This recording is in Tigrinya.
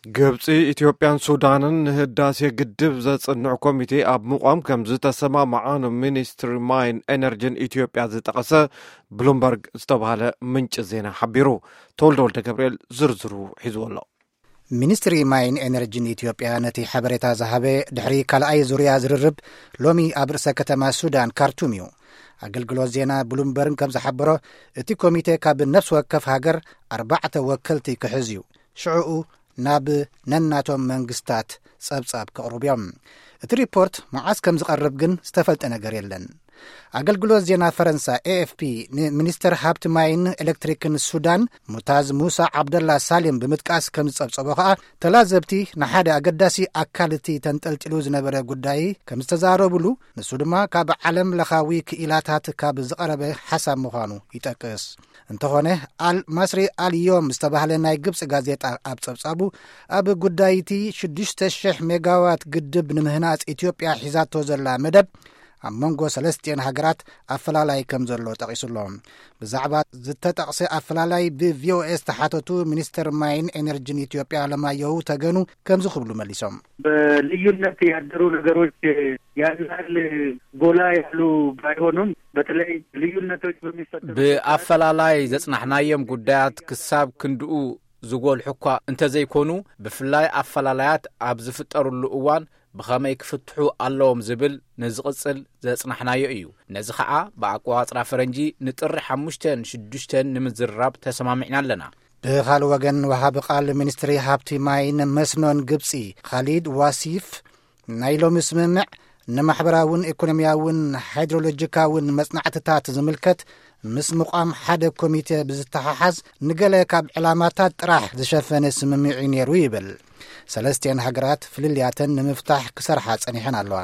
ግብፂ፣ ኢትዮጵያን ሱዳንን ንህዳሴ ግድብ ዘፅንዕ ኮሚቴ ኣብ ምቋም ከም ዝተሰማማዓ ንሚኒስትሪ ማይን ኤነርጂን ኢትዮጵያ ዝጠቐሰ ብሉምበርግ ዝተባህለ ምንጭ ዜና ሓቢሩ። ተወልደ ወልደ ገብርኤል ዝርዝሩ ሒዝዎ ኣሎ። ሚኒስትሪ ማይን ኤነርጂን ኢትዮጵያ ነቲ ሓበሬታ ዝሃበ ድሕሪ ካልኣይ ዙርያ ዝርርብ ሎሚ ኣብ ርእሰ ከተማ ሱዳን ካርቱም እዩ። ኣገልግሎት ዜና ብሉምበርግ ከም ዝሓበሮ፣ እቲ ኮሚቴ ካብ ነፍሲ ወከፍ ሃገር ኣርባዕተ ወከልቲ ክሕዝ እዩ። ሽዕኡ ናብ ነናቶም መንግስታት ጸብጻብ ከቕርቡ እዮም። እቲ ሪፖርት መዓስ ከም ዝቐርብ ግን ዝተፈልጠ ነገር የለን። ኣገልግሎት ዜና ፈረንሳ ኤ ኤፍ ፒ ንሚኒስተር ሃብቲ ማይን ኤሌክትሪክን ሱዳን ሙታዝ ሙሳ ዓብደላ ሳሌም ብምጥቃስ ከም ዝጸብጸቦ ከኣ፣ ተላዘብቲ ንሓደ ኣገዳሲ ኣካል እቲ ተንጠልጢሉ ዝነበረ ጉዳይ ከም ዝተዛረብሉ፣ ንሱ ድማ ካብ ዓለም ለኻዊ ክኢላታት ካብ ዝቐረበ ሓሳብ ምዃኑ ይጠቅስ። እንተኾነ፣ ኣል ማስሪ ኣል ዮም ዝተባህለ ናይ ግብጺ ጋዜጣ ኣብ ጸብጻቡ፣ ኣብ ጉዳይ እቲ ሽዱሽተ ሽሕ ሜጋዋት ግድብ ንምህናጽ ኢትዮጵያ ሒዛቶ ዘላ መደብ ኣብ መንጎ ሰለስቲኤን ሃገራት ኣፈላላይ ከም ዘሎ ጠቒሱሎ። ብዛዕባ ዝተጠቕሰ ኣፈላላይ ብ ቪ ኦ ኤ ዝተሓተቱ ሚኒስተር ማይን ኤነርጂን ኢትዮጵያ ኣለማየሁ ተገኑ ከምዚ ክብሉ መሊሶም። በልዩነት ያደሩ ነገሮች ያን ያህል ጎላ ያሉ ባይሆኑም፣ በተለይ ልዩነቶች በሚፈጠሩ ብኣፈላላይ ዘጽናሕናዮም ጉዳያት ክሳብ ክንድኡ ዝጎልሑ እኳ እንተዘይኮኑ፣ ብፍላይ ኣፈላላያት ኣብ ዝፍጠሩሉ እዋን ብኸመይ ክፍትሑ ኣለዎም ዝብል ንዝቕጽል ዘጽናሕናዮ እዩ። ነዚ ኸኣ ብኣቆጻጽራ ፈረንጂ ንጥሪ ሓሙሽተን ሽዱሽተን ንምዝርራብ ተሰማሚዕና ኣለና። ብኻልእ ወገን፣ ወሃቢ ቃል ሚኒስትሪ ሃብቲ ማይን መስኖን ግብጺ ኻሊድ ዋሲፍ፣ ናይ ሎሚ ስምምዕ ንማሕበራውን ኢኮኖሚያውን ሃይድሮሎጂካውን መጽናዕትታት ዝምልከት ምስ ምቋም ሓደ ኮሚቴ ብዝተሓሓዝ፣ ንገለ ካብ ዕላማታት ጥራሕ ዝሸፈነ ስምምዕ እዩ ነይሩ ይብል። ሰለስቲኤን ሃገራት ፍልልያተን ንምፍታሕ ክሰርሓ ጸኒሐን ኣለዋ።